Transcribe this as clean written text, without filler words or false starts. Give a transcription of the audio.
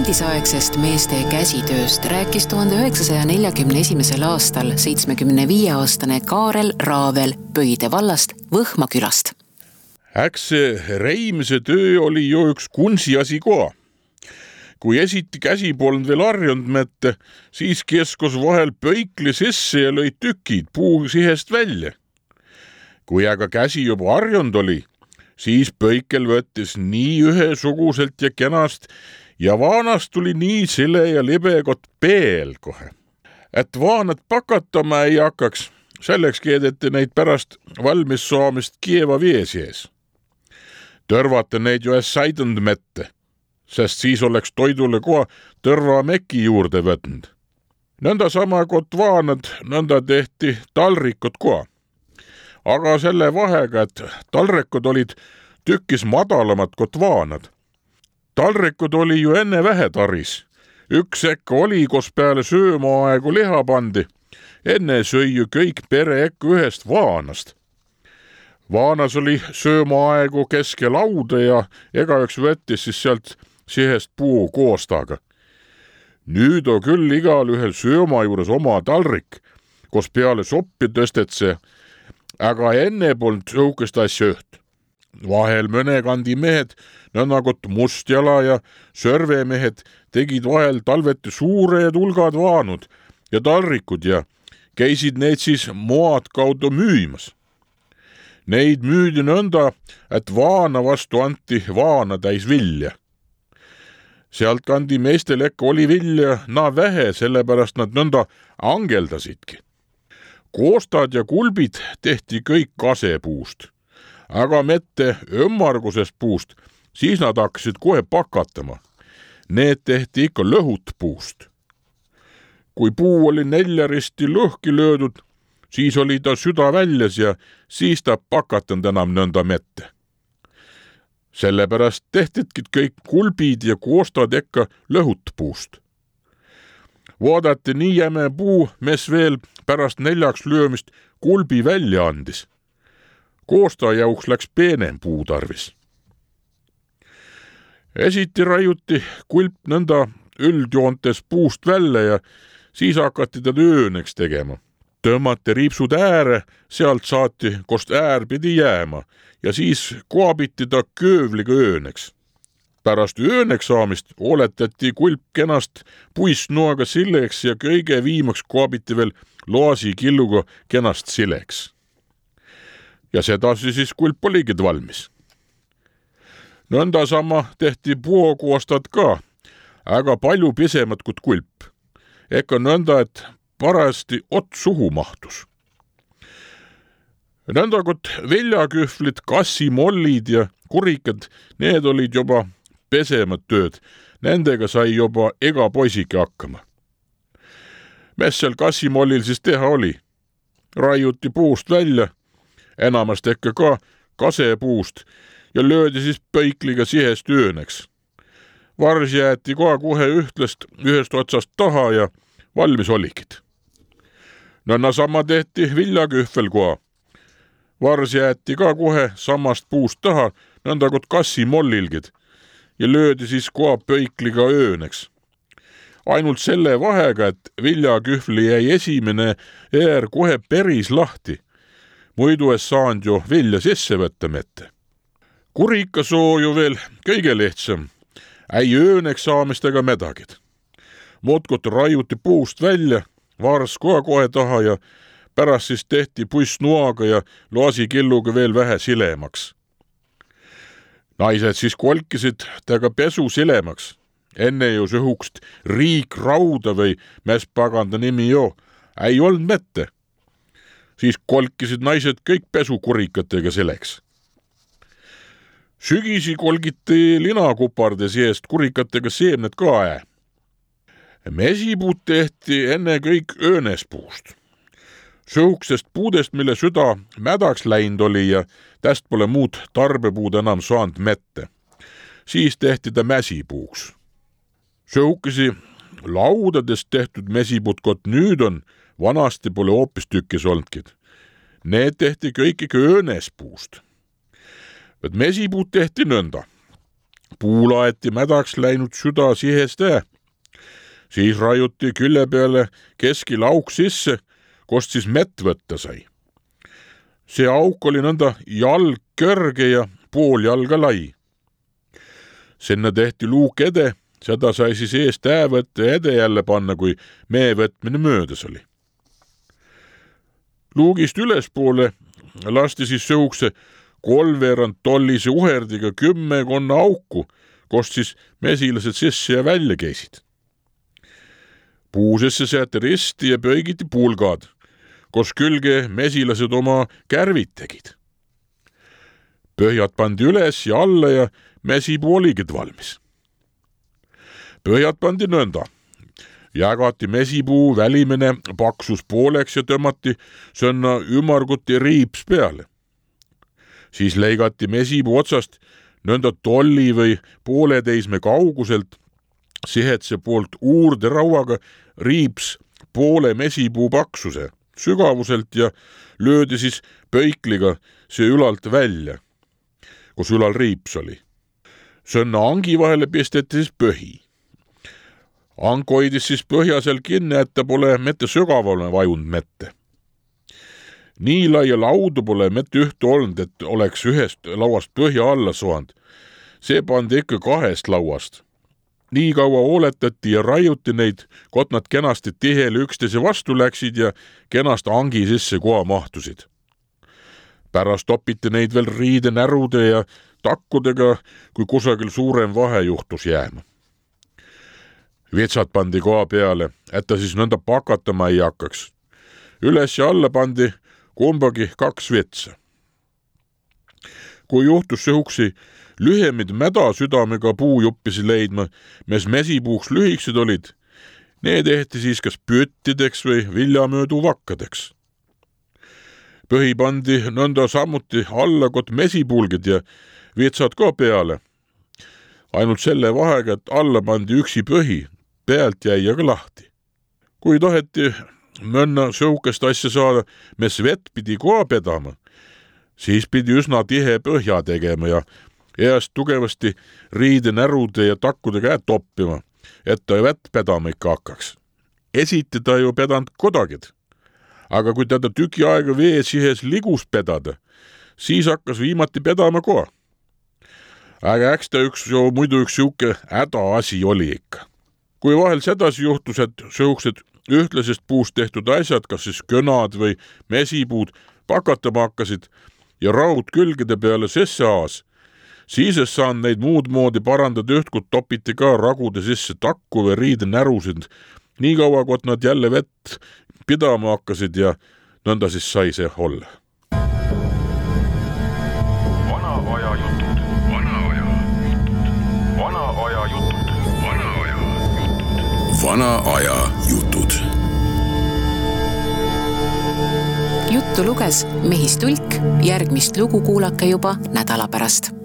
endisaegsest meeste käsitööst rääkis 1941. aastal 75-aastane Kaarel Raavel Pöide vallast Võhma külast. Äks see reimise töö oli ju üks kunsiasi koha. Kui esiti käsi polnud veel harjunud mette, siis keskos vahel pöikli sisse ja lõi tükid puu sihest välja. Kui aga käsi juba harjunud oli, siis pöikel võttis nii ühesuguselt ja kenast ja vaanast tuli nii sile ja libe kot peel kohe. Et vaanad pakatama ei hakkaks, selleks keedeti neid pärast valmis saamist kieva vee sees. Tõrvate neid ju saidund mette, sest siis oleks toidule koha tõrva meki juurde võtnud. Nõnda sama kot vaanad, nõnda tehti talrikut koha. Aga selle vahega, et talrekud olid tükkis madalamad kot vaanad. Talrekud oli ju enne vähetaris. Üks ekka oli, kos peale söömaaegu liha pandi. Enne sõi ju kõik pere ekka ühest vaanast. Vaanas oli söömaaegu keske lauda ja igaüks võttis siis sealt sihest puu koostaga. Nüüd on küll igal ühel sööma juures oma talrik, kos peale soppi tõstet see, aga enne polnud õukest asja üht. Vahel mõnekandi mehed, nõnnagot Mustjala ja Sörvemehed tegid vahel talveti suured hulgad vaanud ja talrikud ja käisid neid siis moad kaudu müümas. Neid müüdi nõnda, et vaana vastu anti vaana täis vilja. Sealt kandi meestel ekka oli vilja naa vähe, sellepärast nad nõnda angeldasidki. Koostad ja kulbid tehti kõik kasepuust, aga mitte ümmargusest puust, siis nad hakkasid kohe pakatama. Need tehti ikka lõhutpuust. Kui puu oli neljaristi lõhki löödud, siis oli ta süda väljas ja siis ta pakatanud enam nõnda mette. Sellepärast tehtidki kõik kulbid ja koostad ekka lõhutpuust. Vaadati nii jäme puu, mis veel pärast neljaks löömist kulbi välja andis. Koosta jauks läks peenem puu tarvis. Esiti raiuti kulp nõnda üldjoontes puust välja ja siis hakati teda ööneks tegema. Tõmmati riipsud ääre, sealt saati, kost äär pidi jääma ja siis koabiti ta köövliga ööneks. Pärast ööneks saamist oletati kulp kenast puissnoaga sileks ja kõige viimaks koabiti veel loasi killuga kenast sileks. Ja sedasi siis kulp oligi valmis. Nõnda sama tehti puukoostad ka, aga palju pisemad kui kulp. Eka nõnda, et parasti ot suhu mahtus. Nõnda kot viljakühvlid, kassimollid ja kurikad, need olid juba pesemad tööd. Nendega sai juba ega poisike hakkama. Mis seal kassimollil siis teha oli? Raiuti puust välja, enamast ekka ka kasepuust ja löödi siis pöikliga sihest ööneks. Vars jäeti kohe ühest otsast taha ja valmis olikid. Nõnda sama tehti viljakühvel koha. Vars jäeti ka kohe samast puust taha, nõnda kot kassimollilgid ja löödi siis koha pöikliga ööneks. Ainult selle vahega, et viljakühvli jäi esimene äär kohe päris lahti. Muidu es saanud ju vilja sisse võtta mette. Kurikasoo ju veel kõige lihtsam. Ei ööneks saamistega medagid. Mutkut raiuti puust välja, vars kohe taha ja pärast siis tehti puissnoaga ja laasikilluga veel vähe silemaks. Naised siis kolkisid taga pesu silemaks. Enne ju sõhukst riikrauda või mis paganda nimi jo, ei olnud mette. Siis kolkisid naised kõik pesukurikatega seleks. Sügisi kolgiti linakuparde seest kurikatega seemned ka . Mesipuud tehti enne kõik öönespuust. Sõhuksest puudest, mille süda mädaks läinud oli ja täst pole muud tarbepuud enam saanud mette. Siis tehti ta mäsipuuks. Sõhukesi laudadest tehtud mesipuud kot nüüd on, vanasti pole hoopis tükkis olnudki. Need tehti kõik ikka öönespuust. Mesipuud tehti nõnda. puulaeti mädaks läinud süda siheste. Siis raiuti külle peale keskil auk sisse, kost siis mett võtta sai. See auk oli nõnda jalg kõrge ja pool jalga lai. Sinna tehti luuk ede, seda sai siis eest võtta ja ede jälle panna, kui mee võtmine möödas oli. Luugist ülespoole lasti siis sõukse 3 tollise uherdiga 10 auku, kost siis mesilased sisse ja välja käisid. Puusesse seati risti ja pöögiti pulgad, koos külge mesilased oma kärvid tegid. Põhjad pandi üles ja alla ja mesipuu oligid valmis. Põhjad pandi nõnda. Jagati mesipuu välimene paksus pooleks ja tõmmati sõnna ümarguti riips peale. Siis leigati mesipuu otsast nõnda tolli või pooleteisme kauguselt sihetse poolt uurde rauaga riips poole mesipuu paksuse sügavuselt ja löödi siis pöikliga see ülalt välja, kus ülal riips oli. Sõnna angi vahele pisteti siis põhi. Ank hoidis siis põhja seal kinni, et ta pole mitte sügavale vajund mette. Nii laia laudu pole mitte ühte olnud, et oleks ühest lauast põhja alla soand. See pandi ikka 2 lauast. Nii kaua hooletati ja raiuti neid, kot nad kenasti tihele üksteise vastu läksid ja kenast angi sisse koha mahtusid. Pärast topiti neid veel riidenärude ja takkudega, kui kusagil suurem vahe juhtus jääma. Vitsad pandi koha peale, et ta siis nõnda pakatama ei hakkaks. Üles ja alla pandi kumbagi 2 vitsa. Kui juhtus sõuksi lühemid mädasüdamega puujuppisi leidma, mis mesipuuks lühikesed olid, need tehti siis kas püttideks või viljamöödu vakkadeks. Põhi pandi nõnda samuti alla kot mesipulgid ja vitsad ka peale. Ainult selle vahega, et alla pandi üksi põhi, pealt jäi aga lahti. Kui taheti mõnna sõukest asja saada, mis vett pidi koha pedama, siis pidi üsna tihe põhja tegema ja eest tugevasti riidenärude ja takkude käed toppima, et ta vett pedama ikka hakkaks. Esiti ta ju pedanud kodagid, aga kui teda tüki aega vee sihes ligus pedada, siis hakkas viimati pedama koha. Aga eks ta muidu üks siuke häda asi oli ikka. Kui vahel sedasi juhtus, et sõuksed ühtlasest puust tehtud asjad, kas siis kõnad või mesipuud, pakatama hakkasid ja raud külgede peale sisse aas, siis saan neid muud moodi parandada ühtkut topiti ka ragude sisse takku või riidenärusid, nii kaua, kot nad jälle vett pidama hakkasid ja nõnda siis sai see olla. Vana aja jutud. Juttu luges Mehis Tulk, järgmist lugu kuulake juba nädala pärast.